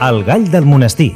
El gall del monestir.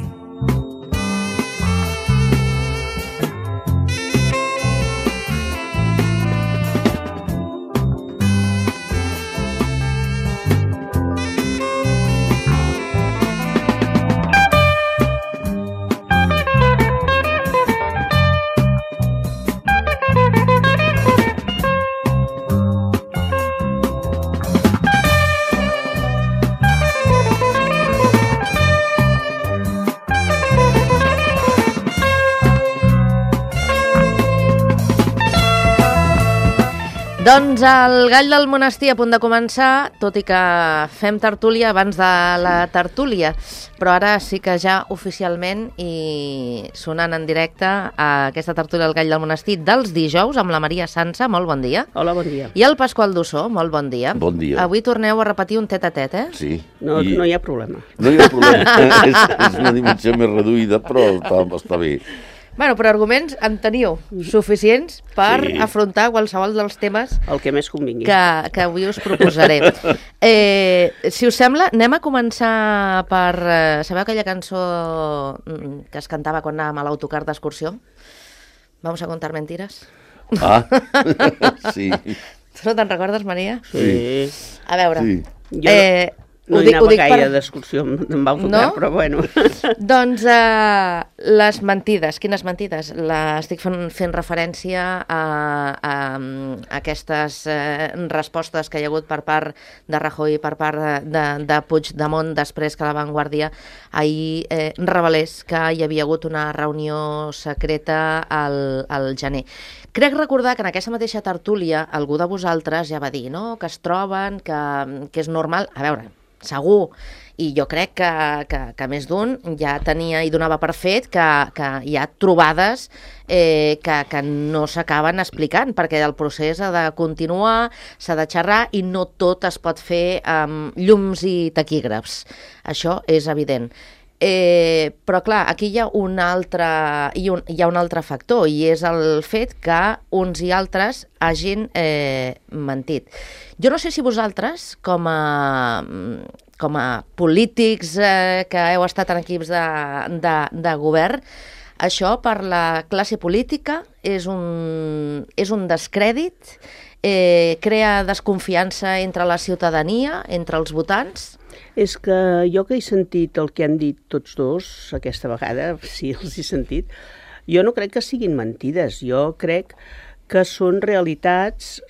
Doncs el gall del monestir a punt de començar, tot i que fem tertúlia abans de la tertúlia, però ara sí que ja oficialment i sonant en directe a aquesta tertúlia del gall del monestir dels dijous amb la Maria Sansa, molt bon dia. Hola, bon dia. I el Pasqual Dussó, molt bon dia. Bon dia. Avui torneu a repetir un tet-a-tet, eh? Sí. No hi ha problema. No hi ha problema. és una dimensió més reduïda, però està bé. Bueno, però arguments en teniu suficients per afrontar qualsevol dels temes el que més convingui que avui us proposaré. Si us sembla, anem a començar per... sabeu aquella cançó que es cantava quan anàvem a l'autocar d'excursió? Vamos a contar mentiras. Ah, sí. Tu no te'n recordes, Maria? Sí. A veure... Sí. Jo no hi anava gaire d'excursió amb autocar, no? Però bueno. Doncs les mentides. Quines mentides? Estic fent referència a aquestes respostes que hi ha hagut per part de Rajoy, per part de Puigdemont, després que la Vanguardia ahir revelés que hi havia hagut una reunió secreta al gener. Crec recordar que en aquesta mateixa tertúlia algú de vosaltres ja va dir, no?, que es troben, que és normal... A veure, segur, i jo crec que més d'un ja tenia i donava per fet que hi ha trobades que no s'acaben explicant, perquè el procés ha de continuar, s'ha de xerrar i no tot es pot fer amb llums i taquígrafs. Això és evident. Però clar, aquí hi ha un altre factor, i és el fet que uns i altres hagin mentit. Jo no sé si vosaltres, com a polítics que heu estat en equips de govern, això per la classe política és un descrèdit, crea desconfiança entre la ciutadania, entre els votants? És que jo que he sentit el que han dit tots dos, aquesta vegada, sí, els he sentit, jo no crec que siguin mentides, jo crec que són realitats,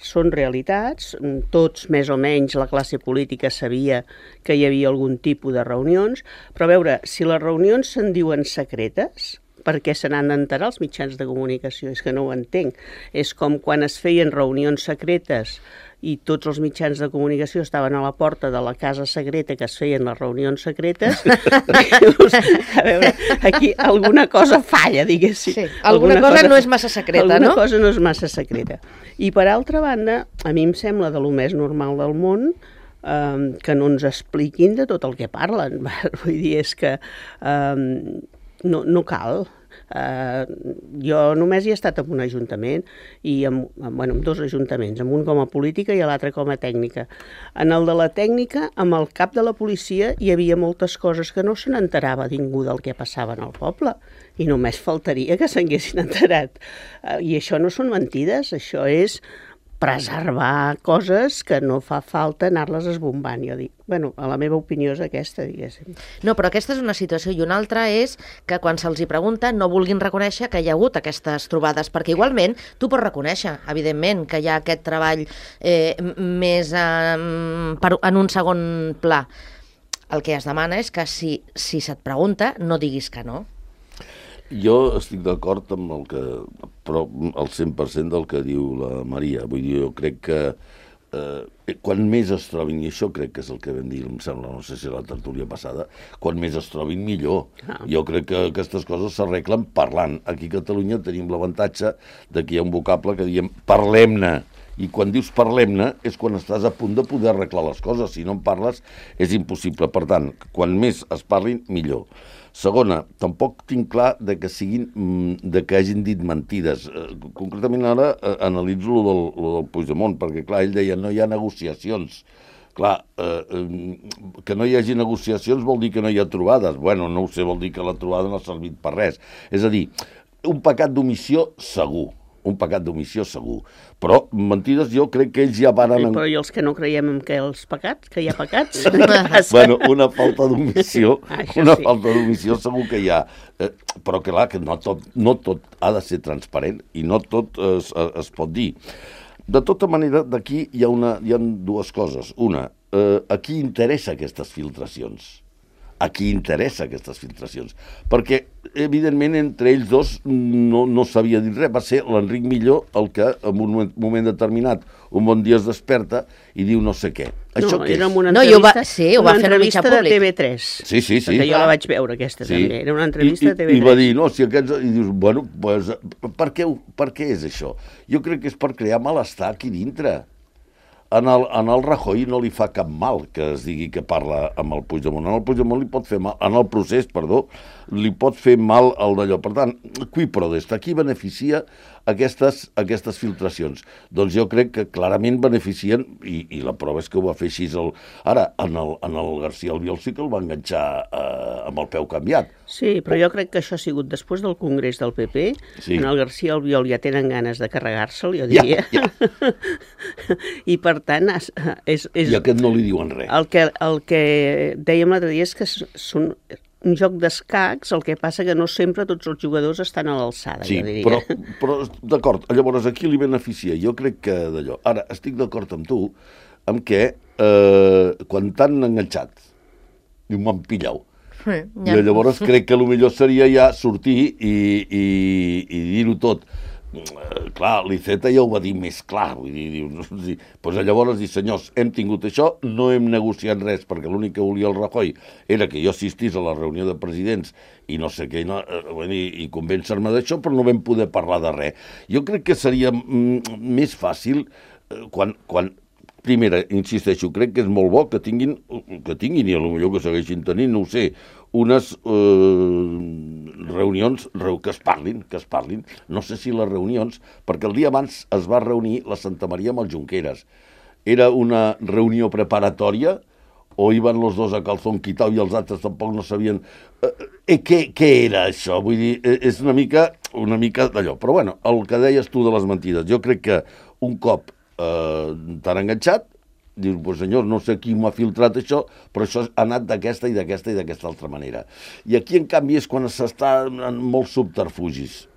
tots més o menys la classe política sabia que hi havia algun tipus de reunions, però a veure, si les reunions se'n diuen secretes, per què se n'han d'enterar els mitjans de comunicació? És que no ho entenc. És com quan es feien reunions secretes i tots els mitjans de comunicació estaven a la porta de la casa secreta que es feien les reunions secretes. A veure, aquí alguna cosa falla, diguéssim. Sí, alguna cosa no és massa secreta, no? Alguna cosa no és massa secreta. I per altra banda, a mi em sembla de lo més normal del món que no ens expliquin de tot el que parlen. Vull dir, és que no cal. Jo només hi he estat en un ajuntament i amb dos ajuntaments, amb un com a política i l'altre com a tècnica. En el de la tècnica, amb el cap de la policia hi havia moltes coses que no se n'enterava ningú del que passava en el poble i només faltaria que s'haguessin enterat. I això no són mentides, això és preservar coses que no fa falta anar-les esbombant. Jo dic, bueno, a la meva opinió és aquesta, diguéssim. No, però aquesta és una situació, i una altra és que quan se'ls hi pregunta no vulguin reconèixer que hi ha hagut aquestes trobades, perquè igualment tu pots reconèixer, evidentment, que hi ha aquest treball més en un segon pla. El que es demana és que si se't pregunta no diguis que no. Jo estic d'acord amb però el 100% del que diu la Maria. Vull dir, jo crec que quan més es trobin, i això crec que és el que vam dir, em sembla, no sé si la tertúlia passada, quan més es trobin millor. Jo crec que aquestes coses s'arreglen parlant. Aquí a Catalunya tenim l'avantatge de que hi ha un vocable que diem parlem-ne. I quan dius parlem-ne és quan estàs a punt de poder arreglar les coses. Si no en parles és impossible. Per tant, quan més es parlin, millor. Segona, tampoc tinc clar de que hagin dit mentides. Concretament ara analitzo lo del Puigdemont, perquè clar, ell deia no hi ha negociacions. Clar, que no hi hagi negociacions vol dir que no hi ha trobades. Bueno, no ho sé, vol dir que la trobada no ha servit per res. És a dir, un pecat d'omissió segur. Un pecat d'omissió segur. Però mentides jo crec que ells ja varen... Però i els que no creiem en què els pecats, que hi ha pecats? Bueno, una falta d'omissió, falta d'omissió segur que hi ha. Però clar, que no tot ha de ser transparent i no tot es pot dir. De tota manera, d'aquí hi ha dues coses. Una, a qui interessa aquestes filtracions? A qui interessa aquestes filtracions? Perquè, evidentment, entre ells dos no s'havia dit res. Va ser l'Enric Milló el que, en un moment determinat, un bon dia es desperta i diu no sé què. Això què és? Era una entrevista, ho va fer el mitjà públic. de TV3. Sí. Perquè jo la vaig veure, aquesta, també. Era una entrevista de TV3. I va dir, no, si aquests... I dius, bueno, pues, per què és això? Jo crec que és per crear malestar aquí dintre. En el Rajoy no li fa cap mal que es digui que parla amb el Puigdemont. En el Puigdemont li pot fer mal, en el procés, perdó, li pot fer mal el d'allò. Per tant, qui prodest, qui beneficia aquestes filtracions? Doncs jo crec que clarament beneficien, i la prova és que ho va fer així. Ara, en el García Albiol sí que el va enganxar amb el peu canviat. Sí, però jo crec que això ha sigut després del Congrés del PP. Sí. En el García Albiol ja tenen ganes de carregar-se'l, jo diria. Ja. I per tant... I aquest no li diuen res. El que dèiem l'altre dia és que són un joc d'escacs, el que passa que no sempre tots els jugadors estan a l'alçada, sí, jo diria. Però d'acord, llavors aquí li beneficia, jo crec que d'allò. Ara, estic d'acord amb tu, amb què quan t'han enganxat, diu, m'han pillau. Ja. I llavors crec que el millor seria ja sortir i dir-ho tot. Clar, l'Iceta ja ho va dir més clar, vull dir, doncs llavors dir, senyors, hem tingut això, no hem negociat res, perquè l'únic que volia el Rajoy era que jo assistís a la reunió de presidents i no sé què, i convèncer-me d'això, però no vam poder parlar de res. Jo crec que seria més fàcil quan primera, insisteixo, crec que és molt bo que tinguin i potser que segueixin tenint, no ho sé, unes reunions que es parlin. No sé si les reunions, perquè el dia abans es va reunir la Santa Maria amb els Junqueras. Era una reunió preparatòria o iban los dos a calzón quitao i els altres tampoc no sabien què era això. Vull dir, és una mica d'allò. Però bueno, el que deies tu de les mentides, jo crec que un cop t'han enganxat, dius, pues senyor, no sé qui m'ha filtrat això, però això ha anat d'aquesta i d'aquesta altra manera. I aquí, en canvi, és quan s'està en molts subterfugis.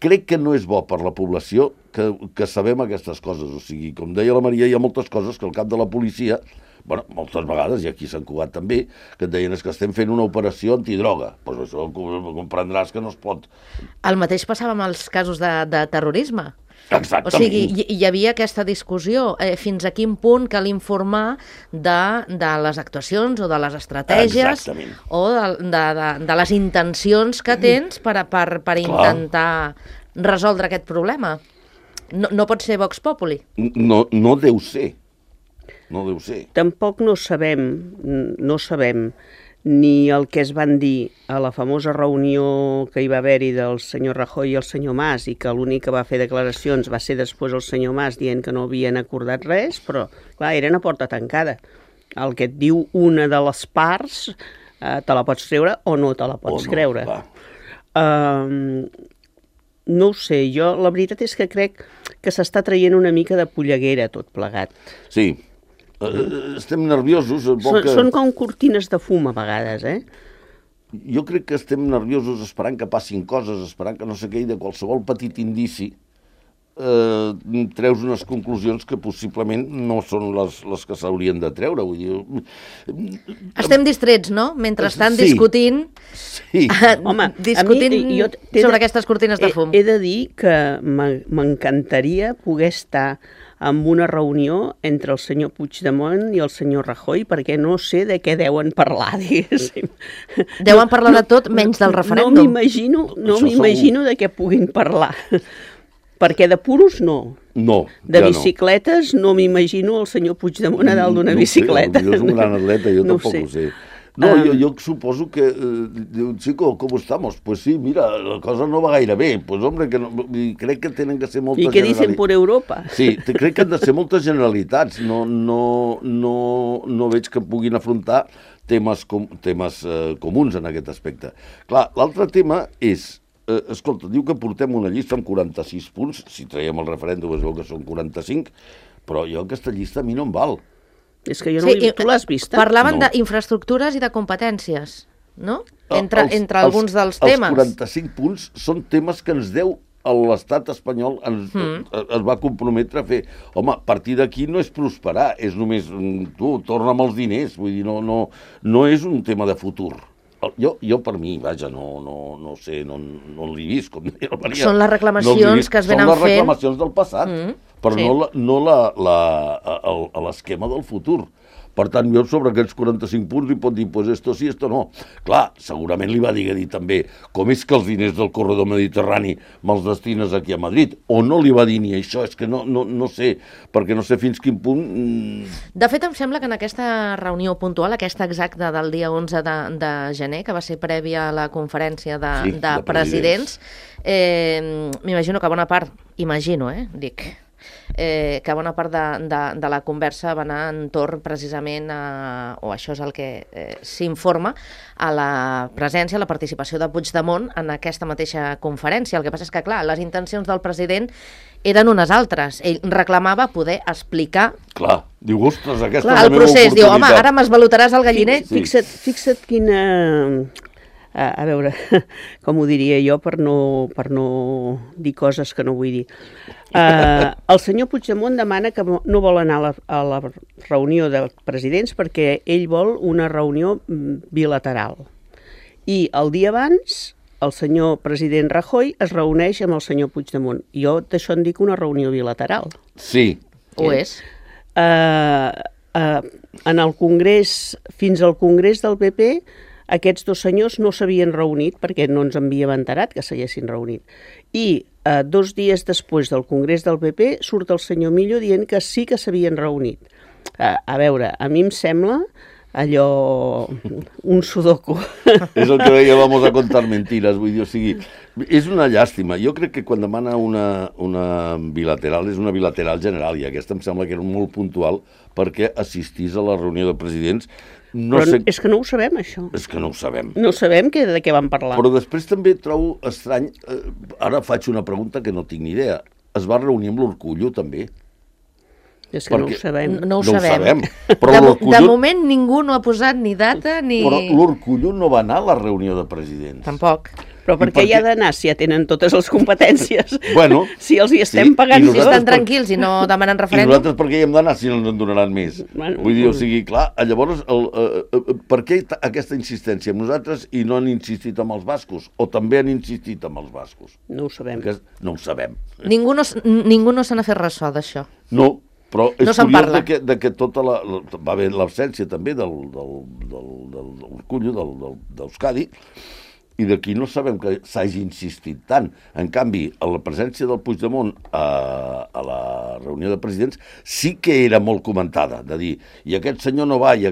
Crec que no és bo per la població que sabem aquestes coses. O sigui, com deia la Maria, hi ha moltes coses que el cap de la policia, bueno, moltes vegades, i aquí s'han Cugat també, que et deien que estem fent una operació antidroga. Doncs això comprendràs que no es pot. El mateix passava amb els casos de terrorisme. Exactament. O sigui, hi havia aquesta discussió fins a quin punt cal informar de les actuacions o de les estratègies o de les intencions que tens per intentar resoldre aquest problema. No pot ser Vox Populi. No deu ser. No deu ser. Tampoc no sabem ni el que es van dir a la famosa reunió que hi va haver-hi del senyor Rajoy i el senyor Mas, i que l'únic que va fer declaracions va ser després el senyor Mas dient que no havien acordat res, però clar, eren a porta tancada. El que et diu una de les parts te la pots treure o no te la pots creure. No ho sé, jo la veritat és que crec que s'està traient una mica de polleguera tot plegat. Sí. Estem nerviosos. Són com cortines de fum a vegades, Jo crec que estem nerviosos esperant que passin coses, esperant que no sé què, i de qualsevol petit indici treus unes conclusions que possiblement no són les que s'haurien de treure. Vull dir... Estem distrets, no? Mentre estan discutint, sobre aquestes cortines de fum. He de dir que m'encantaria poder estar amb una reunió entre el senyor Puigdemont i el senyor Rajoy, perquè no sé de què deuen parlar, diguéssim. Deuen parlar de tot menys del referèndum. No m'imagino de què puguin parlar. Perquè de puros no. No, de bicicletes no m'imagino el senyor Puigdemont a dalt d'una bicicleta. Jo és un gran atleta, jo tampoc ho sé. No, jo suposo que diu, chico, ¿cómo estamos? Pues sí, mira, la cosa no va gaire bé. Pues hombre, que no, crec que tenen que ser moltes I què dicen per Europa? Sí, crec que han de ser moltes generalitats. No veig que puguin afrontar temes comuns en aquest aspecte. Clar, l'altre tema és, escolta, diu que portem una llista amb 46 punts, si traiem el referèndum es veu que són 45, però jo aquesta llista a mi no em val. És que jo no tu l'has vist? Parlaven d'infraestructures i de competències, no? Entre alguns dels temes. Els 45 punts són temes que ens deu l'estat espanyol, es va comprometre a fer. Home, a partir d'aquí no és prosperar, és només, tu, torna'm els diners, vull dir, no és un tema de futur. Jo per mi, vaja, no sé, no l'he vist, com deia la Maria. Són les reclamacions que es venen fent. Són les reclamacions del passat, però no l'esquema del futur. Per tant, jo sobre aquests 45 punts li pot dir, pues esto sí, esto no. Clar, segurament li va dir també, com és que els diners del corredor mediterrani me'ls destines aquí a Madrid? O no li va dir ni això? És que no sé, perquè no sé fins quin punt... De fet, em sembla que en aquesta reunió puntual, aquesta exacta del dia 11 de gener, que va ser prèvia a la conferència de presidents, m'imagino que bona part, que bona part de la conversa va anar entorn precisament o això és el que s'informa, a la presència, a la participació de Puigdemont en aquesta mateixa conferència. El que passa és que, clar, les intencions del president eren unes altres. Ell reclamava poder explicar... Clar, diu, ostres, aquesta és la meva procés. oportunitat. Diu, home, ara m'esvalotaràs el galliner? Sí. Fixa't quina... A veure, com ho diria jo per no dir coses que no vull dir. El senyor Puigdemont demana que no vol anar a la reunió de presidents perquè ell vol una reunió bilateral. I el dia abans, el senyor president Rajoy es reuneix amb el senyor Puigdemont. Jo d'això en dic una reunió bilateral. Sí. Ho és. En el Congrés, fins al Congrés del PP, aquests dos senyors no s'havien reunit perquè no ens havíem enterat que s'haguessin reunit. I 2 dies després del Congrés del PP surt el senyor Millo dient que sí que s'havien reunit. A veure, a mi em sembla allò un sudoku. És el que deia, vamos a contar mentiras, vull dir, o sigui, és una llàstima. Jo crec que quan demana una bilateral és una bilateral general i aquesta em sembla que era molt puntual perquè assistís a la reunió de presidents. És que no ho sabem, això. És que no ho sabem. No sabem de què van parlar. Però després també trobo estrany, ara faig una pregunta que no tinc ni idea, es va reunir amb l'Orcullo també? És que no ho sabem. No ho sabem. Però de moment ningú no ha posat ni data ni... Però l'Orcullo no va anar a la reunió de presidents. Tampoc. Però per què hi ha d'anar si ja tenen totes les competències? Bueno, si els hi estem pagant... Si estan tranquils i no demanen referèndum... I nosaltres per què hi hem d'anar si no ens en donaran més? Bueno, vull dir, o sigui, clar, llavors, per què aquesta insistència amb nosaltres i no han insistit amb els bascos? O també han insistit amb els bascos? No ho sabem. No ho sabem. Ningú no se n'ha fet ressò d'això. No, però és no curiós que tota va haver l'absència també del Urcullo, d'Euskadi, i d'aquí no sabem que s'hagi insistit tant. En canvi, a la presència del Puigdemont a la reunió de presidents sí que era molt comentada, de dir, i aquest senyor no va, i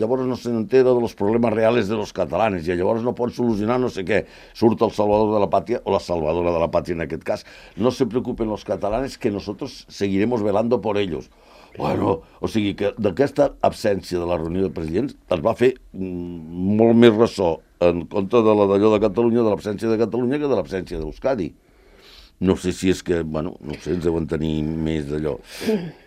llavors no se n'entera de los problemes reales de los catalanes, i llavors no pot solucionar no sé què. Surt el salvador de la patria, o la salvadora de la patria en aquest cas. No se preocupen los catalanes que nosotros seguiremos velando por ellos. Bueno, o sigui que d'aquesta absència de la reunió de presidents es va fer molt més ressò en contra de d'allò de Catalunya, de l'absència de Catalunya, que de l'absència d'Euskadi. No sé si és que, bueno, no sé, ens deuen tenir més d'allò.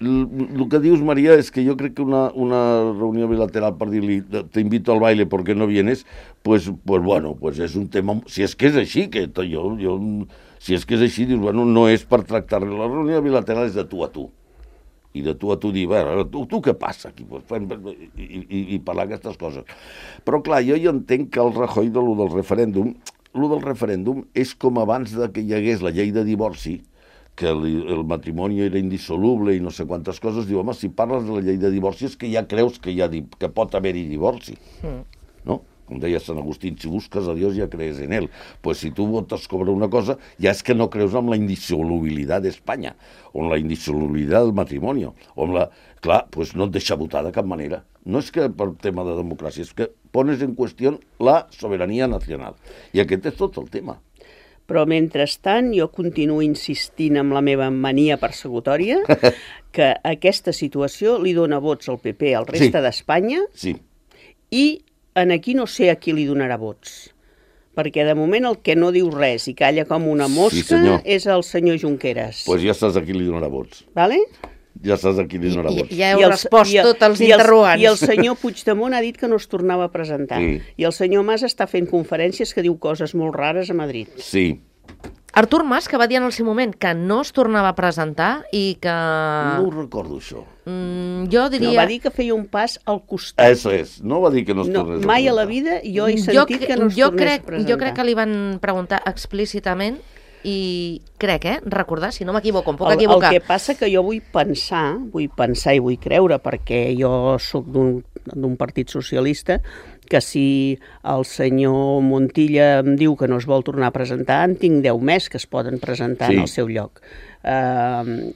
El que dius, Maria, és que jo crec que una reunió bilateral per dir-li te invito al baile porque no vienes, pues bueno, pues és un tema... Si és que és així, que si és que és així, dius, bueno, no és per tractar-li. La reunió bilateral és de tu a tu. I de tu a tu dir, tu què passa aquí? I parlar aquestes coses. Però clar, jo entenc que el Rajoy del referèndum és com abans que hi hagués la llei de divorci, que el matrimoni era indissoluble i no sé quantes coses, diu, home, si parles de la llei de divorci és que ja creus que pot haver-hi divorci. No? Com deia Sant Agustí, si busques a Dios ja crees en él. Pues si tu votes sobre una cosa, ja és que no creus en la indissolubilitat d'Espanya, o en la indissolubilitat del matrimoni, o en la... Clar, pues no et deixa votar de cap manera. No és que per tema de democràcia, és que pones en qüestió la sobirania nacional. I aquest és tot el tema. Però mentrestant jo continuo insistint amb la meva mania persecutòria que aquesta situació li dona vots al PP al resta d'Espanya i en aquí no sé a qui li donarà vots. Perquè de moment el que no diu res i calla com una mosca és el senyor Junqueras. Doncs ja saps a qui li donarà vots. Vale? Ja saps a qui li donarà vots. Ja heu respost tots els interrogants. I el senyor Puigdemont ha dit que no es tornava a presentar. I el senyor Mas està fent conferències que diu coses molt rares a Madrid. Sí. Artur Mas, que va dir en el seu moment que no es tornava a presentar i que... No ho recordo, això. Jo diria... No, va dir que feia un pas al costat. Això és. No va dir que no es tornés a presentar. Mai a la vida jo he sentit que no es tornés a presentar. Jo crec que li van preguntar explícitament i crec, recordar, si no m'equivoco, em puc equivocar. El que passa que jo vull pensar i vull creure, perquè jo sóc d'un partit socialista, que si el senyor Montilla em diu que no es vol tornar a presentar, en tinc 10 més que es poden presentar en el seu lloc.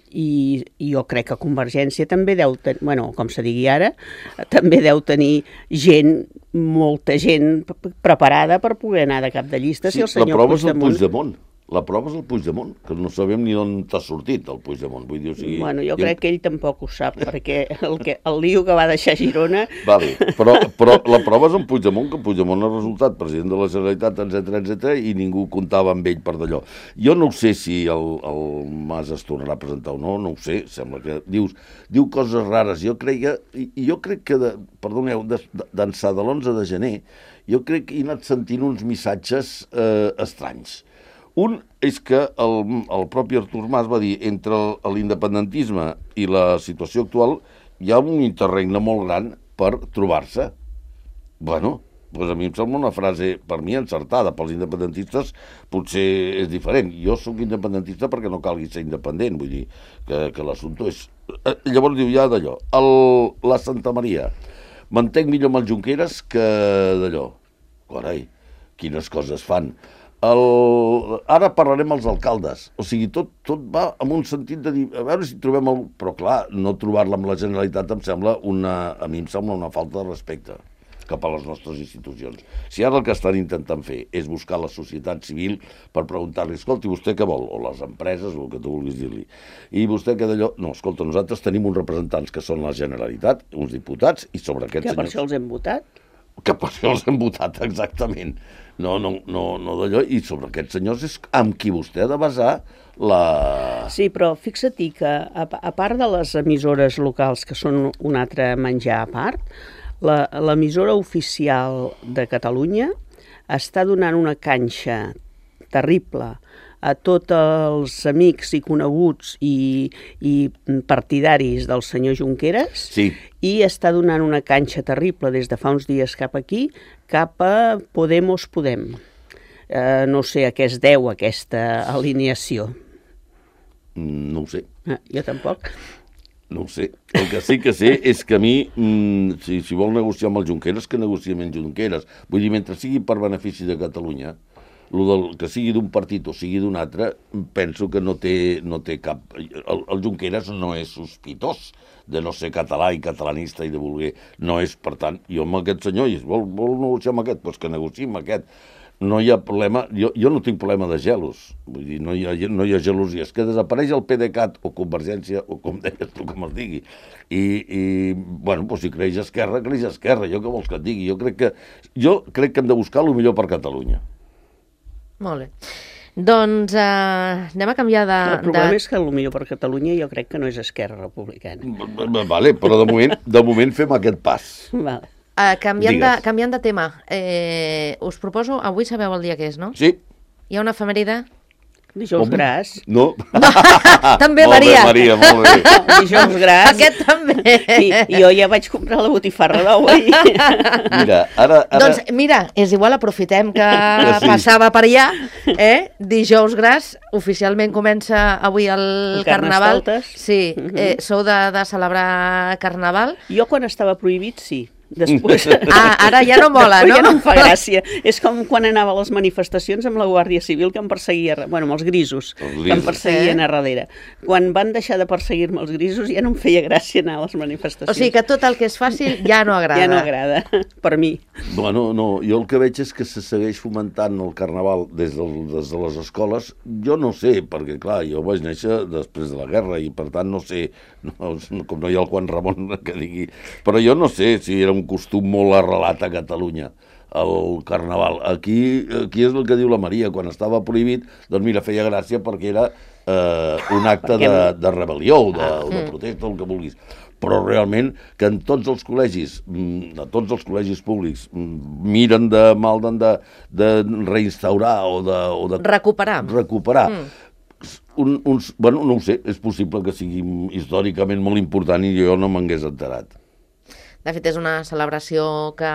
I jo crec que Convergència també deu tenir, bueno, com se digui ara, també deu tenir gent, molta gent preparada per poder anar de cap de llista si el senyor Puigdemont... La prova és el Puigdemont, que no sabem ni d'on t'ha sortit el Puigdemont. Vull dir, bueno, jo crec que ell tampoc ho sap, perquè el lío que va deixar Girona... Vale, però la prova és en Puigdemont, que Puigdemont ha resultat president de la Generalitat, etc i ningú comptava amb ell per d'allò. Jo no sé si el Mas es tornarà a presentar o no, no ho sé, sembla que diu coses rares. Jo crec que perdoneu, d'ençà de l'11 de gener, jo crec que he anat sentint uns missatges estranys. Un és que el propi Artur Mas va dir entre l'independentisme i la situació actual hi ha un interregne molt gran per trobar-se. Bueno, doncs a mi em sembla una frase, per mi, encertada. Pels independentistes potser és diferent. Jo sóc independentista perquè no calgui ser independent, vull dir que l'assumpte és... Llavors diu ja d'allò. La Santa Maria. M'entenc millor amb el Junqueras que d'allò. Carai, quines coses fan. Ara parlarem als alcaldes. O sigui, tot va en un sentit de dir, a veure si trobem el... Però clar, no trobar-la amb la Generalitat a mi em sembla una falta de respecte cap a les nostres institucions. Si ara el que estan intentant fer és buscar la societat civil per preguntar-li, escolti, vostè què vol? O les empreses, o el que tu vulguis dir-li. I vostè què d'allò? No, escolta, nosaltres tenim uns representants que són la Generalitat, uns diputats, i sobre aquests senyors... Que per això els hem votat? Que per això els hem votat, exactament. No d'allò, i sobre aquests senyors és amb qui vostè ha de basar la... Sí, però fixa-t'hi que, a part de les emissores locals, que són un altre menjar a part, l'emissora oficial de Catalunya està donant una canxa terrible a tots els amics i coneguts i partidaris del senyor Junqueras, i està donant una canxa terrible des de fa uns dies cap aquí, cap a Podem. No sé a què es deu aquesta alineació. No ho sé. Jo tampoc. No ho sé. El que sí que sé és que a mi, si vol negociar amb el Junqueras, que negociï amb el Junqueras. Vull dir, mentre sigui per benefici de Catalunya, que sigui d'un partit o sigui d'un altre, penso que no té cap... El Junqueras no és sospitós de no ser català i catalanista i de voler... No és, per tant, jo amb aquest senyor, vol negociar amb aquest, doncs que negociï amb aquest. No hi ha problema, jo no tinc problema de gelos, vull dir, no hi ha gelosies, que desapareix el PDeCAT o Convergència, o com deies tu, com es digui, i bueno, si creix Esquerra, jo què vols que et digui, jo crec que hem de buscar el millor per Catalunya. Molt bé. Doncs anem a canviar de... El problema és que el millor per Catalunya jo crec que no és Esquerra Republicana. Vale, però de moment fem aquest pas. Vale. Canviant de tema, us proposo, avui sabeu el dia que és, no? Sí. Hi ha una efemèride? Dijous Gras. No. També, Maria. Maria, molt bé. Dijous Gras. Aquest també. I jo ja vaig comprar la botifarra d'avui. Mira, ara... Doncs mira, és igual, aprofitem que passava per allà. Dijous Gras, oficialment comença avui el Carnaval. Sí, sou de celebrar Carnaval. Jo quan estava prohibit, sí. Després... Ara ja no mola, no? Ja no em fa gràcia. És com quan anava a les manifestacions amb la Guàrdia Civil que em perseguia, amb els grisos, que em perseguien a darrere. Quan van deixar de perseguir-me els grisos ja no em feia gràcia anar a les manifestacions. O sigui que tot el que és fàcil ja no agrada. Ja no agrada, per mi. Bueno, no, jo el que veig és que se segueix fomentant el carnaval des de les escoles. Jo no sé, perquè clar, jo vaig néixer després de la guerra i per tant no sé, com no hi ha el Juan Ramon que digui, però jo no sé si era un costum molt arrelat a Catalunya, el carnaval. Aquí és el que diu la Maria, quan estava prohibit, doncs mira, feia gràcia perquè era un acte de rebel·lió o de protesta, el que vulguis. Però realment que en tots els col·legis, a tots els col·legis públics, miren de reinstaurar o de recuperar. Bueno, no ho sé, és possible que sigui històricament molt important i jo no m'hagués enterat. De fet, és una celebració que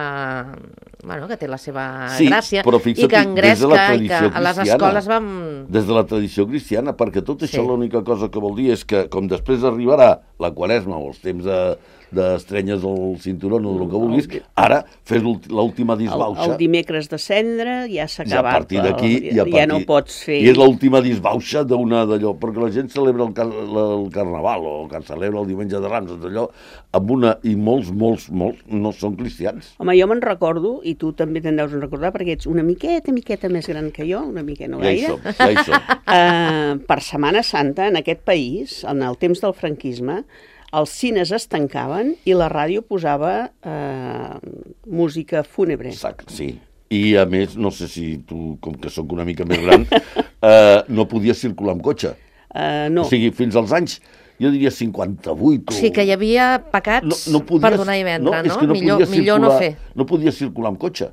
té la seva gràcia i que engresca i que a les escoles vam... Des de la tradició cristiana, perquè tot això l'única cosa que vol dir és que, com després arribarà la Quaresma o els temps d'estrenyes al cinturó o el que vulguis, ara fes l'última disbauxa. El dimecres de cendre ja s'ha acabat. A partir d'aquí ja no pots fer... I és l'última disbauxa d'una d'allò, perquè la gent celebra el Carnaval o que celebra el Diumenge de Rams, d'allò, amb una... I molts no són cristians. Home, jo me'n recordo, i tu també te'n deus recordar, perquè ets una miqueta més gran que jo, una miqueta no gaire. Ja hi som. Per Setmana Santa, en aquest país, en el temps del franquisme, els cines es tancaven i la ràdio posava música fúnebre. Sí. I, a més, no sé si tu, com que sóc una mica més gran, no podies circular amb cotxe. No. O sigui, fins als anys, jo diria 58 o... Sí, que hi havia pecats per donar i vendre, no? Millor no fer. No podies circular amb cotxe.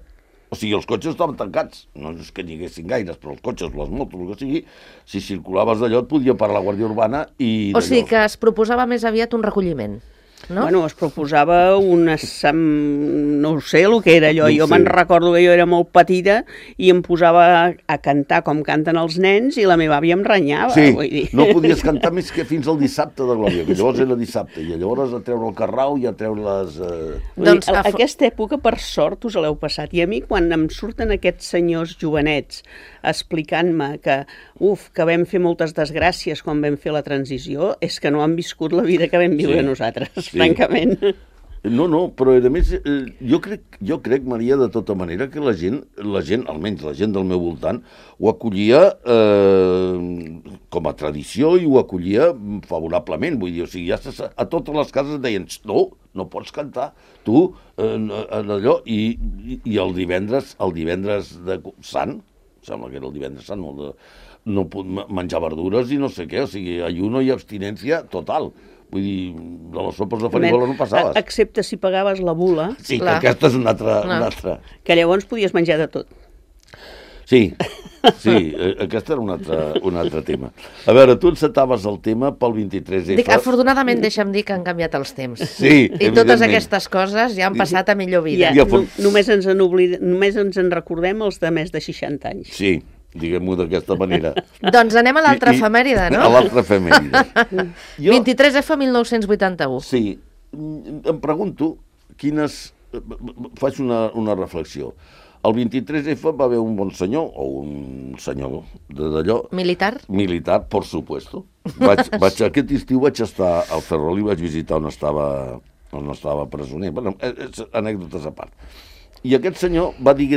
O sigui, els cotxes estaven tancats. No és que n'hi haguessin gaires, però els cotxes, les motos, el que sigui, si circulaves d'allò et podia parar la Guàrdia Urbana i... O sigui que es proposava més aviat un recolliment, no? Bueno, es proposava no sé el que era allò. Jo me'n recordo que jo era molt petita i em posava a cantar com canten els nens i la meva àvia em renyava. Sí, vull dir. no podies cantar més que fins al dissabte de Glòria, que llavors era dissabte, i llavors a treure el carrau i a treure les... Doncs aquesta època, per sort, us l'heu passat. I a mi, quan em surten aquests senyors jovenets explicant-me que vam fer moltes desgràcies quan vam fer la transició, és que no han viscut la vida que vam viure nosaltres, francament. No, però a més, jo crec, Maria, de tota manera, que la gent, almenys la gent del meu voltant, ho acollia com a tradició i ho acollia favorablement. Vull dir, o sigui, a totes les cases deien, no pots cantar, tu, allò, i el divendres de Sant, sembla que era el divendres sant, no pot menjar verdures i no sé què, o sigui, ayuno i abstinència total. Vull dir, de les sopes de farigola no passaves. Excepte si pagaves la bula. Sí, que aquesta és una altra... Que llavors podies menjar de tot. Sí, aquest era un altre tema. A veure, tu encetaves el tema pel 23F. Dic, afortunadament, deixa'm dir que han canviat els temps. Sí, i totes aquestes coses ja han passat a millor vida. Només ens en recordem els de més de 60 anys. Sí, diguem-ho d'aquesta manera. Doncs anem a l'altra efemèride, no? A l'altra efemèride. 23F 1981. Sí, em pregunto faig una reflexió. El 23F va haver un bon senyor, o un senyor d'allò... Militar? Militar, por supuesto. Aquest estiu vaig estar al Ferrol i vaig visitar on estava presoner. Bueno, anècdotes a part. I aquest senyor va dir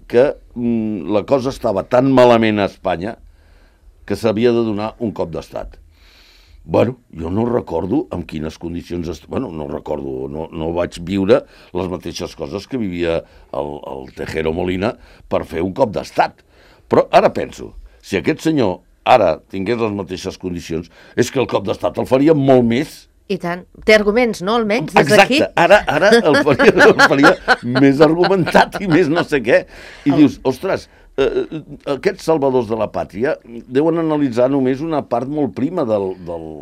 que la cosa estava tan malament a Espanya que s'havia de donar un cop d'estat. Bueno, jo no recordo en quines condicions... no recordo, no vaig viure les mateixes coses que vivia el Tejero Molina per fer un cop d'estat. Però ara penso, si aquest senyor ara tingués les mateixes condicions, és que el cop d'estat el faria molt més. I tant. Té arguments, no, almenys, des d'aquí? Exacte. Ara el faria més argumentat i més no sé què. I dius, ostres, aquests salvadors de la pàtria deuen analitzar només una part molt prima del...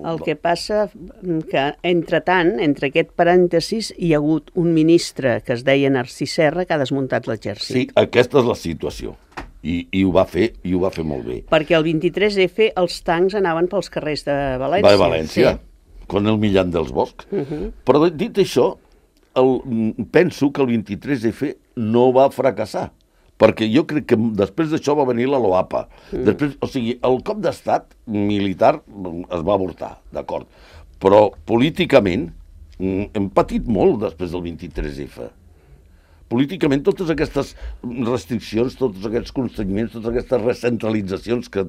El que passa que, entre aquest parèntesis, hi ha hagut un ministre que es deia Narcís Serra que ha desmuntat l'exèrcit. Sí, aquesta és la situació. I ho va fer molt bé. Perquè el 23F els tancs anaven pels carrers de València. Va a València, con el Millán dels Bosch. Però dit això, penso que el 23F no va fracassar, perquè jo crec que després d'això va venir la LOAPA. Després, o sigui, el cop d'estat militar es va avortar, d'acord, però políticament hem patit molt després del 23F. Políticament, totes aquestes restriccions, tots aquests constrenyiments, totes aquestes recentralitzacions que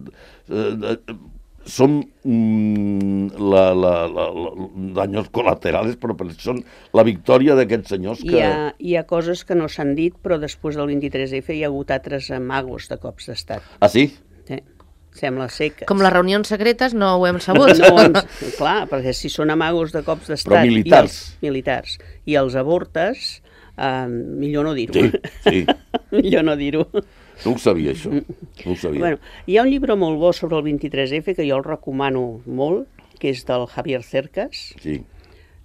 són danys col·laterals, però són la victòria d'aquests senyors que... Hi ha coses que no s'han dit, però després del 23F hi ha hagut altres amagos de cops d'estat. Ah, sí? Sí. Sembla ser que... Com les reunions secretes no ho hem sabut. Clar, perquè si són amagos de cops d'estat... Però militars. Militars. I els avortes, millor no dir-ho. Sí. Millor no dir-ho. No ho sabia, això. No ho sabia. Bueno, hi ha un llibre molt bo sobre el 23F que jo el recomano molt, que és del Javier Cercas, sí.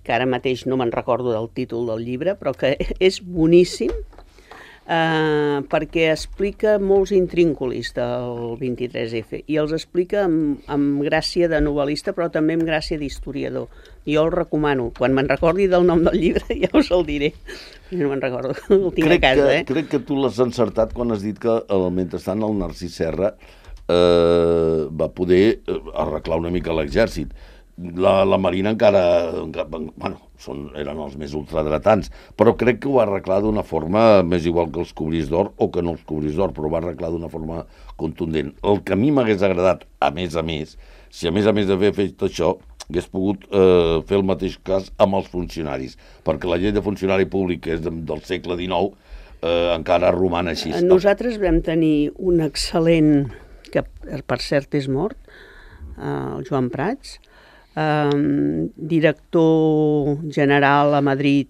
Que ara mateix no me'n recordo del títol del llibre, però que és boníssim, perquè explica molts intrínculis del 23F i els explica amb gràcia de novel·lista, però també amb gràcia d'historiador. Jo el recomano. Quan me'n recordi del nom del llibre ja us el diré. No me'n recordo, el tinc a casa. Crec que tu l'has encertat quan has dit que mentrestant el Narcís Serra va poder arreglar una mica l'exèrcit. La Marina encara bueno, eren els més ultradretans, però crec que ho va arreglar d'una forma més igual que els cobrís d'or o que no els cobrís d'or, però ho va arreglar d'una forma contundent. El que a mi m'hagués agradat, a més, si a més d'haver fet això, hagués pogut fer el mateix cas amb els funcionaris, perquè la llei de funcionari públic, que és del segle XIX, encara roman així. Nosaltres vam tenir un excel·lent, que per cert és mort, el Joan Prats, director general a Madrid,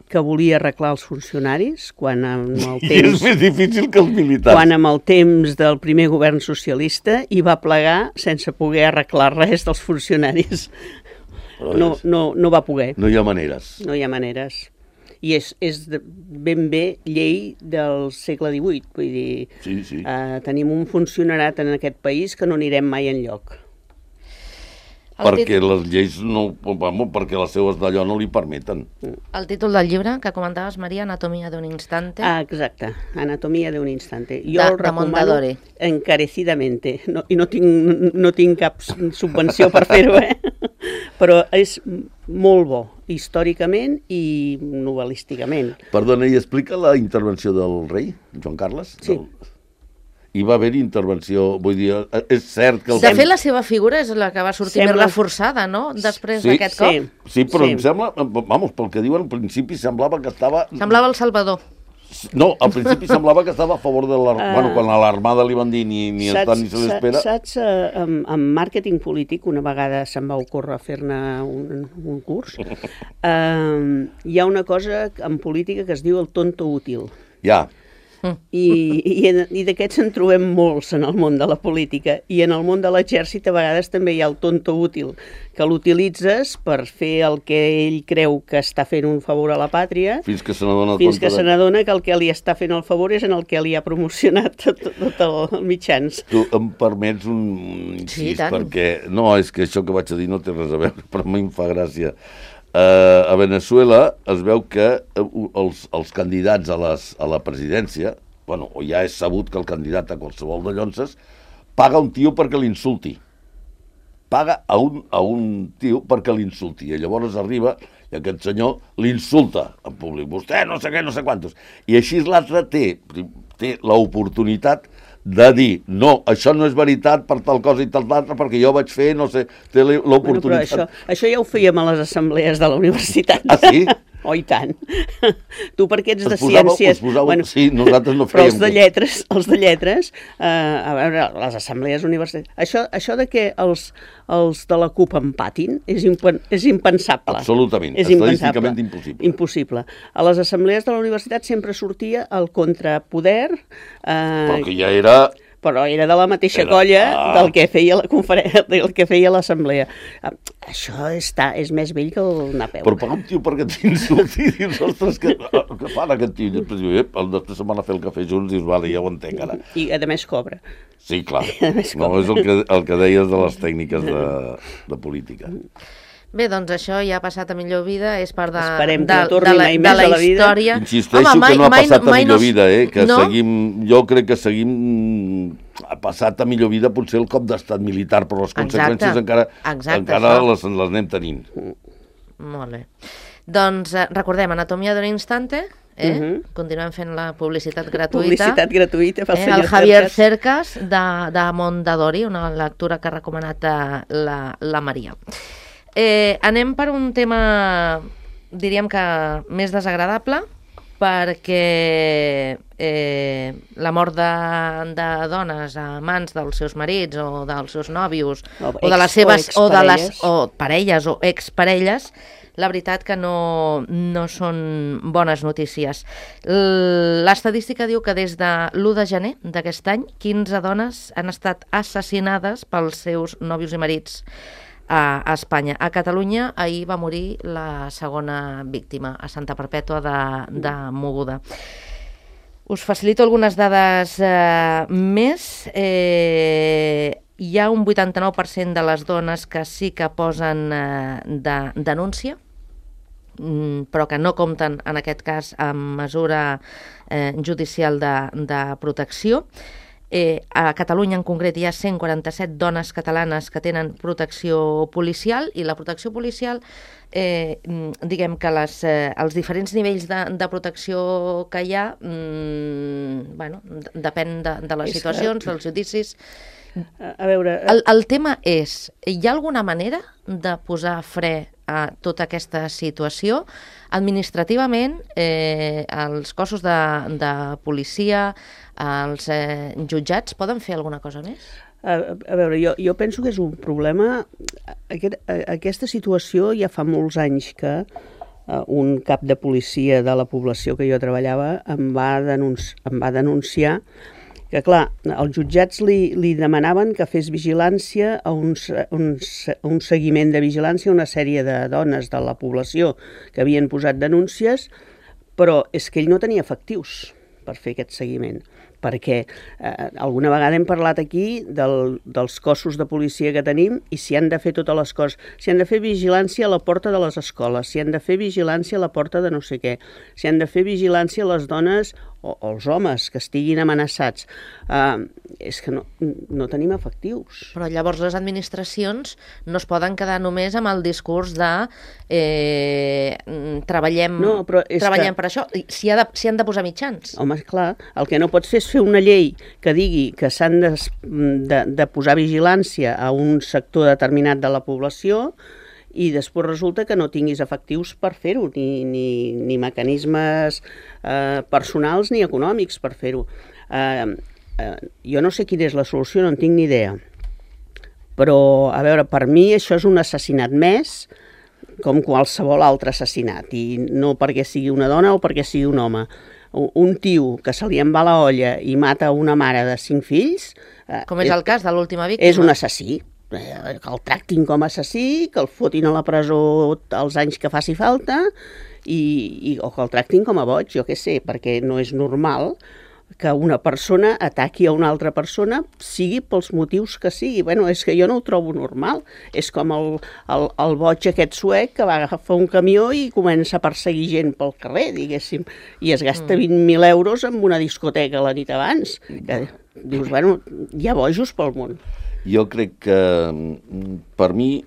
que volia arreglar els funcionaris quan amb el temps... I és més difícil que els militars. Quan amb el temps del primer govern socialista hi va plegar sense poder arreglar res dels funcionaris. No va poder. No hi ha maneres. No hi ha maneres. I és ben bé llei del segle XVIII. Vull dir, sí. Tenim un funcionarat en aquest país que no anirem mai enlloc. Perquè les lleis perquè les seues d'allò no li permeten. El títol del llibre que comentaves, Maria, Anatomia d'un instante. Exacte, Anatomia d'un instante. Jo el recomano encarecidamente. I no tinc cap subvenció per fer-ho, però és molt bo, històricament i novel·lísticament. Perdona, i explica la intervenció del rei, Joan Carles? Sí. Hi va haver intervenció, vull dir, és cert que... De fet, la seva figura és la que va sortir més reforçada, no?, després d'aquest cop. Sí, però em sembla, pel que diuen, al principi semblava que estava... Semblava el Salvador. No, al principi semblava que estava a favor de l'armada. Quan a l'armada li van dir ni el tant ni se l'espera... Saps, en màrqueting polític, una vegada se'm va ocórrer fer-ne un curs, hi ha una cosa en política que es diu el tonto útil. Ja. I d'aquests en trobem molts en el món de la política, i en el món de l'exèrcit a vegades també hi ha el tonto útil, que l'utilitzes per fer el que ell creu que està fent un favor a la pàtria, fins que se n'adona que el que li està fent el favor és en el que li ha promocionat tot els mitjans. Tu em permets un incís, perquè no, és que això que vaig a dir no té res a veure, però a mi em fa gràcia. A Veneçuela es veu que els candidats a la presidència, bueno, o ja és sabut que el candidat a qualsevol de llonses paga un tio perquè l'insulti. Paga a un tio perquè l'insulti. I llavors arriba i aquest senyor l'insulta en públic. Vostè no sé què, no sé quantos. I així l'altre té l'oportunitat de dir, no, això no és veritat per tal cosa i tal altra, perquè jo vaig fer, no sé, té l'oportunitat... Bueno, però això ja ho fèiem a les assemblees de la universitat. Ah, sí? Oh, i tant. Tu perquè ets de ciències... Bueno, sí, nosaltres no fèiem... Però els de lletres, a veure, les assemblees universitàries... Això de que els de la CUP empatin és impensable. Absolutament, estadísticament impossible. Impossible. A les assemblees de la universitat sempre sortia el contrapoder... Però que ja era... Però era de la mateixa colla del que feia la conferència, del que feia l'assemblea. Això és més vell que el Napeu. Però pagar un tio perquè t'insulti i dius, ostres, què fan aquest tio? I després diu, després se'n van a fer el cafè junts i dius, vale, ja ho entenc ara. I a més cobra. Sí, clar. No, és el que deies de les tècniques de política. Bé, doncs això ja ha passat a millor vida, és part de, Esperem que de, no torni de, la, mai de més la a la vida. història. Insisteixo que no ha passat a millor vida, que no? jo crec que seguim ha passat a millor vida potser el cop d'estat militar, però les conseqüències encara les anem tenint. Molt bé. Doncs recordem, Anatomia d'un instante, continuem fent la publicitat gratuïta. Publicitat gratuïta pel senyor el Javier Cercas de Mondadori, una lectura que ha recomanat la Maria. Anem per un tema, diríem que més desagradable, perquè la mort de dones a mans dels seus marits o dels seus nòvios o de les seves parelles o exparelles, la veritat que no són bones notícies. L'estadística diu que des de l'1 de gener d'aquest any, 15 dones han estat assassinades pels seus nòvios i marits a Espanya. A Catalunya ahir va morir la segona víctima, a Santa Perpètua de Mogoda. Us facilito algunes dades més. Hi ha un 89% de les dones que sí que posen denúncia, però que no compten, en aquest cas, amb mesura judicial de protecció. A Catalunya en concret hi ha 147 dones catalanes que tenen protecció policial, i la protecció policial, diguem que els diferents nivells de protecció que hi ha, depèn de les situacions, dels judicis. A veure... El tema és, hi ha alguna manera de posar fre a tota aquesta situació? Administrativament, els cossos de policia, els jutjats, poden fer alguna cosa més? A veure, jo penso que és un problema... Aquesta situació ja fa molts anys que un cap de policia de la població que jo treballava em va denunciar que, clar, els jutjats li demanaven que fes vigilància, un seguiment de vigilància a una sèrie de dones de la població que havien posat denúncies, però és que ell no tenia efectius per fer aquest seguiment, perquè alguna vegada hem parlat aquí dels cossos de policia que tenim i si han de fer totes les coses, si han de fer vigilància a la porta de les escoles, si han de fer vigilància a la porta de no sé què, si han de fer vigilància a les dones o els homes que estiguin amenaçats. És que no tenim efectius. Però llavors les administracions no es poden quedar només amb el discurs de treballem per això, si han de posar mitjans. Home, clar, el que no pots fer és fer una llei que digui que s'han de posar vigilància a un sector determinat de la població i després resulta que no tinguis efectius per fer-ho, ni mecanismes personals ni econòmics per fer-ho. Jo no sé quina és la solució, no en tinc ni idea. Però, a veure, per mi això és un assassinat més, com qualsevol altre assassinat, i no perquè sigui una dona o perquè sigui un home. Un tio que se li en va la olla i mata una mare de 5 fills... Com és el cas de l'última víctima. És un assassí. Que el tractin com a assassí, que el fotin a la presó els anys que faci falta o que el tractin com a boig, jo què sé, perquè no és normal que una persona ataqui a una altra persona, sigui pels motius que sigui. Bueno, és que jo no ho trobo normal. És com el boig aquest suec que va agafar un camió i comença a perseguir gent pel carrer, diguéssim, i es gasta 20.000 euros en una discoteca la nit abans. Que dius, bueno, hi ha bojos pel món. Jo crec que, per mi,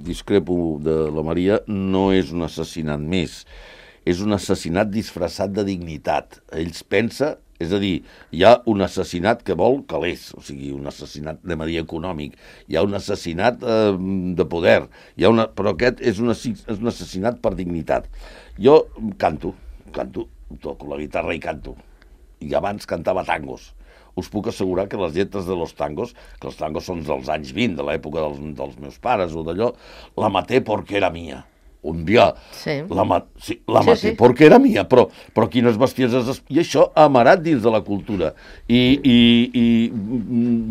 discrepo de la Maria, no és un assassinat més. És un assassinat disfressat de dignitat. Ells pensa, és a dir, hi ha un assassinat que vol calés, o sigui, un assassinat de medida econòmic, hi ha un assassinat de poder, però aquest és un assassinat per dignitat. Jo canto, toco la guitarra i canto, i abans cantava tangos. Us puc assegurar que les lletres de los tangos, que els tangos són dels anys 20, de l'època dels meus pares o d'allò, la maté porque era mía. Un dia la maté porque era mía, però quines bestieses... I això amarat dins de la cultura. I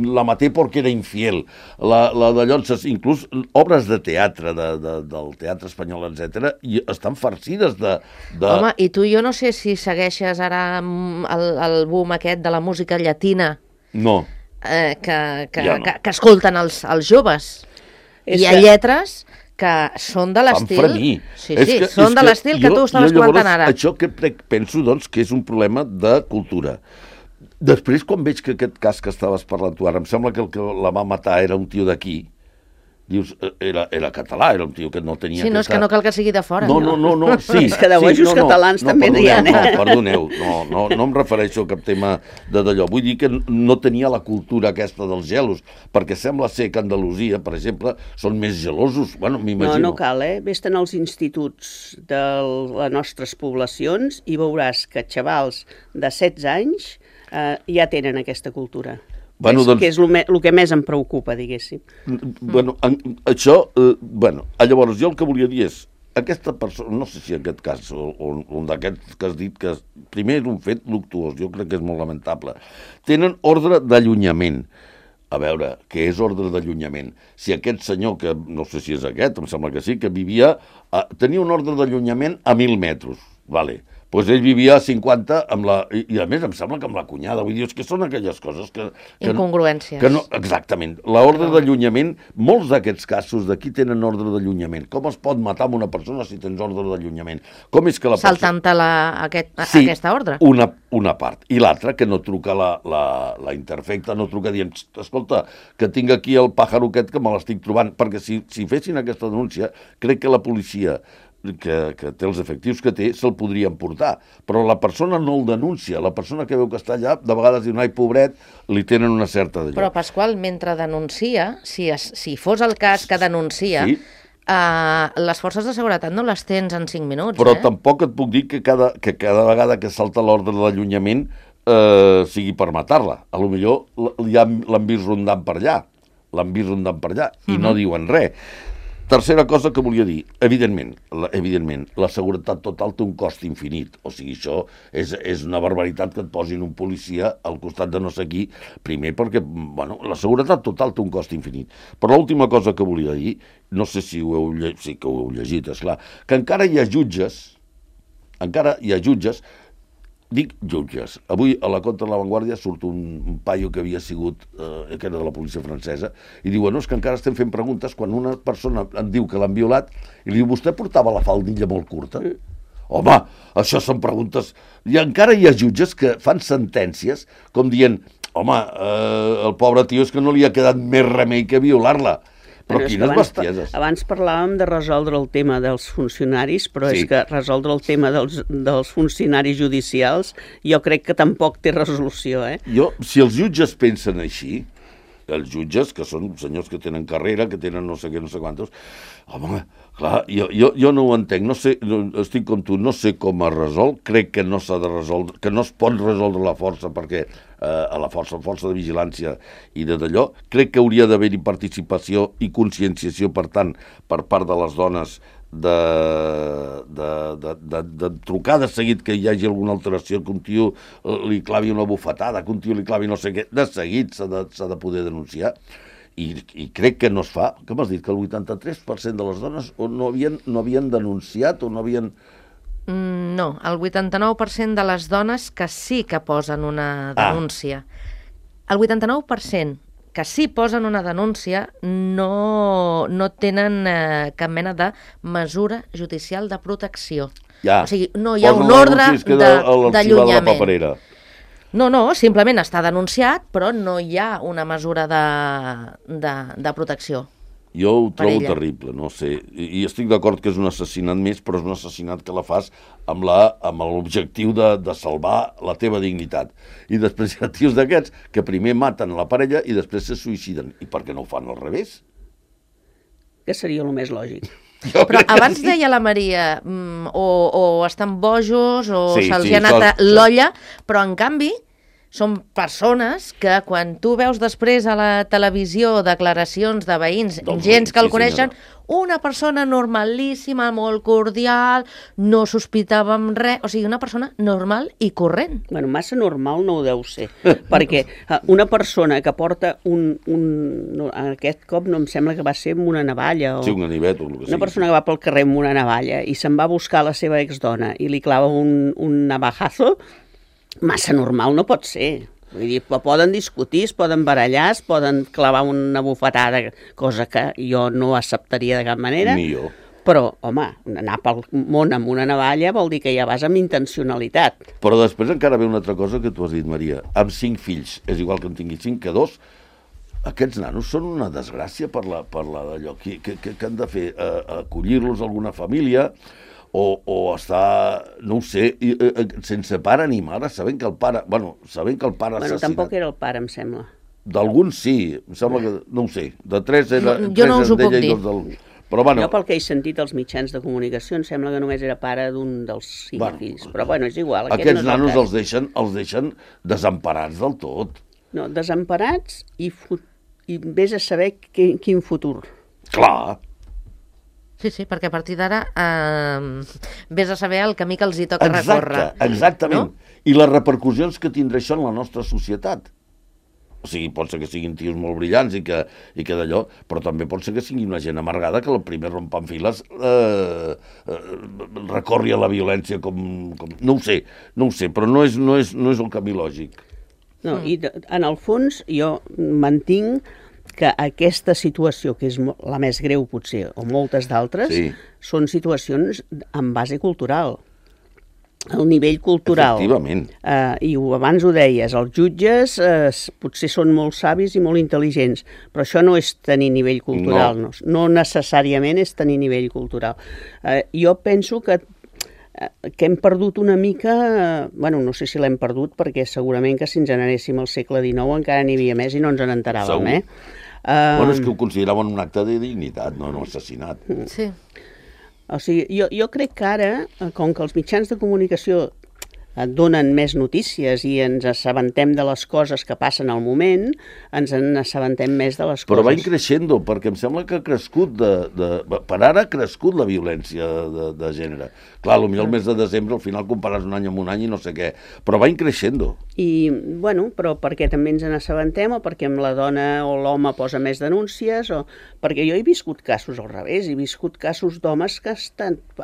la maté porque era infiel. La d'allò, inclús obres de teatre, del teatre espanyol, etc., estan farcides de... Home, i tu jo no sé si segueixes ara el boom aquest de la música llatina. No. Que escolten els joves. Hi ha lletres que són de l'estil... Fan fremir. Sí, són de l'estil que tu estaves comentant ara. Això que penso, doncs, que és un problema de cultura. Després, quan veig que aquest cas que estaves parlant tu ara, em sembla que el que la va matar era un tio d'aquí, dius, era català, era un tio que no tenia... Sí, no, és que no cal que sigui de fora. No, sí. És que de bojos catalans també n'hi ha. Perdoneu, no em refereixo a cap tema d'allò. Vull dir que no tenia la cultura aquesta dels gelos, perquè sembla ser que a Andalusia, per exemple, són més gelosos. Bueno, m'imagino. No cal, Vés-te'n als instituts de les nostres poblacions i veuràs que xavals de 16 anys ja tenen aquesta cultura. Bueno, que és el que més em preocupa, diguéssim. Bueno, això... llavors, jo el que volia dir és, aquesta persona, no sé si en aquest cas, o un d'aquests que has dit, que primer és un fet luctuós, jo crec que és molt lamentable, tenen ordre d'allunyament. A veure, què és ordre d'allunyament? Si aquest senyor, que no sé si és aquest, em sembla que sí, que vivia... tenia un ordre d'allunyament a 1.000 metres, vale. Doncs ell vivia a 50 i a més em sembla que amb la cunyada. Vull dir, és que són aquelles coses que incongruències. Exactament. L'ordre d'allunyament, molts d'aquests casos d'aquí tenen ordre d'allunyament. Com es pot matar amb una persona si tens ordre d'allunyament? Com és que la persona... Saltant-te aquesta ordre. Una part. I l'altra, que no truca la interfecta, no truca dient, escolta, que tinc aquí el pàjaro aquest que me l'estic trobant. Perquè si fessin aquesta denúncia, crec que la policia que té els efectius que té, se'l podrien portar. Però la persona no el denuncia. La persona que veu que està allà, de vegades diu, ai, pobret, li tenen una certa d'allò. Però, Pasqual, mentre denuncia, si fos el cas que denuncia, sí. Les forces de seguretat no les tens en 5 minuts. Però tampoc et puc dir que cada vegada que salta l'ordre d'allunyament sigui per matar-la. A lo millor ja l'han vist rondant per allà. I no diuen res. Tercera cosa que volia dir, evidentment, la seguretat total té un cost infinit. O sigui, això és una barbaritat que et posin un policia al costat de no sé qui, primer perquè, la seguretat total té un cost infinit. Però l'última cosa que volia dir, no sé si ho heu llegit, sí que ho heu llegit, esclar, que encara hi ha jutges, dic jutges. Avui a la Contra de la Vanguardia surt un paio que havia sigut, que era de la policia francesa, i diu, és que encara estem fent preguntes quan una persona em diu que l'han violat i li diu, vostè portava la faldilla molt curta? Home, això són preguntes... I encara hi ha jutges que fan sentències com dient, home, el pobre tio és que no li ha quedat més remei que violar-la. Però quines bestieses. Abans parlàvem de resoldre el tema dels funcionaris, però sí. És que resoldre el tema dels funcionaris judicials jo crec que tampoc té resolució, Si els jutges pensen així, els jutges, que són senyors que tenen carrera, que tenen no sé què, no sé quantos, home, clar, jo no ho entenc, no sé, estic com tu, no sé com es resol, crec que no s'ha de resoldre, que no es pot resoldre la força, perquè a la força de vigilància i d'allò, crec que hauria d'haver-hi participació i conscienciació, per tant, per part de les dones, de trucar de seguit que hi hagi alguna alteració, que un tio li clavi una bufetada, que un tio li clavi no sé què, de seguit s'ha de poder denunciar. I crec que no es fa. Que m'has dit? Que el 83% de les dones no havien denunciat o no havien... No, el 89% de les dones que sí que posen una denúncia. El 89% que sí posen una denúncia no tenen cap mena de mesura judicial de protecció. Ja. O sigui, no hi ha un ordre d'allunyament. No, simplement està denunciat, però no hi ha una mesura de protecció. Jo ho trobo terrible, no sé, i estic d'acord que és un assassinat més, però és un assassinat que la fas amb l'objectiu de salvar la teva dignitat. I després hi ha tios d'aquests que primer maten la parella i després se suïciden. I per què no ho fan al revés? Que seria el més lògic. Però abans deia la Maria, o estan bojos o se'ls ha anat l'olla, però en canvi són persones que quan tu veus després a la televisió declaracions de veïns, gens que el coneixen, una persona normalíssima, molt cordial, no sospitàvem res, o sigui, una persona normal i corrent. Bueno, massa normal no ho deu ser, perquè una persona que porta aquest cop no em sembla que va ser amb una navalla. Sí, un ganivet o el que sigui. Una persona que va pel carrer amb una navalla i se'n va a buscar la seva exdona i li clava un navajazo, massa normal no pot ser. Vull dir, poden discutir, es poden barallar, es poden clavar una bufetada, cosa que jo no acceptaria de cap manera. Ni jo. Però, home, anar pel món amb una navalla vol dir que ja vas amb intencionalitat. Però després encara ve una altra cosa que tu has dit, Maria. Amb 5 fills, és igual que en tingui 5 que 2, aquests nanos són una desgràcia per la d'allò. Què han de fer? Acollir-los a alguna família o estar, no ho sé, sense pare ni mare, sabent que el pare assassinat. Tampoc era el pare, em sembla. D'alguns sí, em sembla que, no ho sé, de 3 era... Jo no us ho puc dir. Però, bueno, jo pel que he sentit als mitjans de comunicació em sembla que només era pare d'un dels 5 fills, però bueno, és igual. Aquests nanos els deixen desemparats del tot. No, desemparats i vés a saber quin futur. Clar. Sí, perquè a partir d'ara vés a saber el camí que els hi toca recórrer. Exactament. No? I les repercussions que tindrà això en la nostra societat. O sigui, pot ser que siguin tios molt brillants i que d'allò, però també pot ser que sigui una gent amargada que el primer rompant files recorri a la violència com... No ho sé, però no és el camí lògic. No, i en el fons jo mantinc que aquesta situació, que és la més greu potser, o moltes d'altres, són situacions amb base cultural. El nivell cultural. Efectivament. I abans ho deies, els jutges potser són molt savis i molt intel·ligents, però això no és tenir nivell cultural, no necessàriament és tenir nivell cultural. Jo penso que hem perdut una mica, bueno, no sé si l'hem perdut, perquè segurament que si ens n'anéssim al segle XIX encara n'hi havia més i no ens n'enteràvem, Bueno, és que ho consideraven un acte de dignitat, no un assassinat. Sí. O sigui, jo crec que ara, com que els mitjans de comunicació donen més notícies i ens assabentem de les coses que passen al moment, ens n'assabentem més de les coses. Però va increixent, perquè em sembla que ha crescut, per ara ha crescut la violència de gènere. Clar, potser el mes de desembre al final compares un any amb un any i no sé què, però va increixent. I, bueno, però perquè també ens n'assabentem, o perquè amb la dona o l'home posa més denúncies, o perquè jo he viscut casos al revés, he viscut casos d'homes que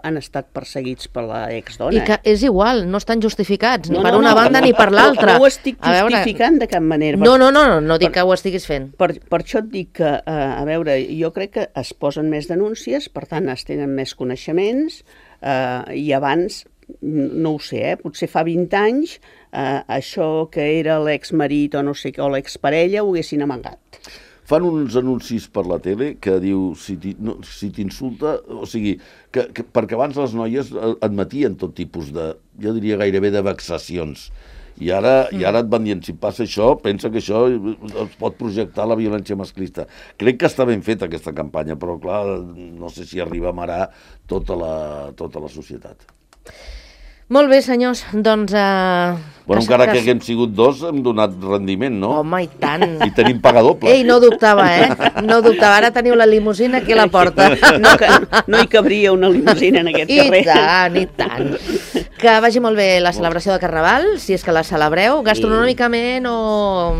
han estat perseguits per l'exdona. I que és igual, no estan justificats, ni per una banda ni per l'altra. No ho estic justificant de cap manera. No dic que ho estiguis fent. Per això et dic que, a veure, jo crec que es posen més denúncies, per tant es tenen més coneixements, i abans, no ho sé, potser fa 20 anys, això que era l'exmarit o no sé què, o l'exparella, ho haguessin amagat. Fan uns anuncis per la tele que diu, si t'insulta, o sigui, perquè abans les noies admetien tot tipus de, jo diria gairebé de vexacions, i ara et van dient, si passa això, pensa que això es pot projectar la violència masclista. Crec que està ben feta aquesta campanya, però clar, no sé si arriba a marar tota la societat. Molt bé, senyors, doncs... Bueno, encara que haguem sigut 2, hem donat rendiment, no? Home, i tant. I tenim paga doble. Ei, no dubtava, No dubtava. Ara teniu la limusina aquí a la porta. No hi cabria una limusina en aquest carrer. I tant. Que vagi molt bé la celebració de Carnaval, si és que la celebreu, gastronòmicament o...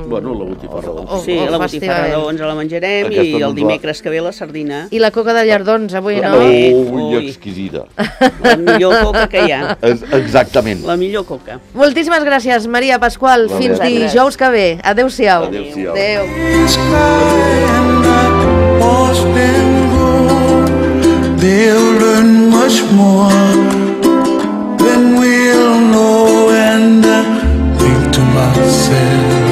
Bueno, la botifarra. Sí, la botifarra ens la menjarem i el dimecres que ve la sardina. I la coca de llardons, avui, no? Ui, exquisida. La millor coca que hi ha. Exactament. La millor coca. Moltíssimes gràcies, Maria Pasqual. Fins dijous que ve. Adéu-siau. Adéu. They'll learn much more than we'll know, and I think to myself,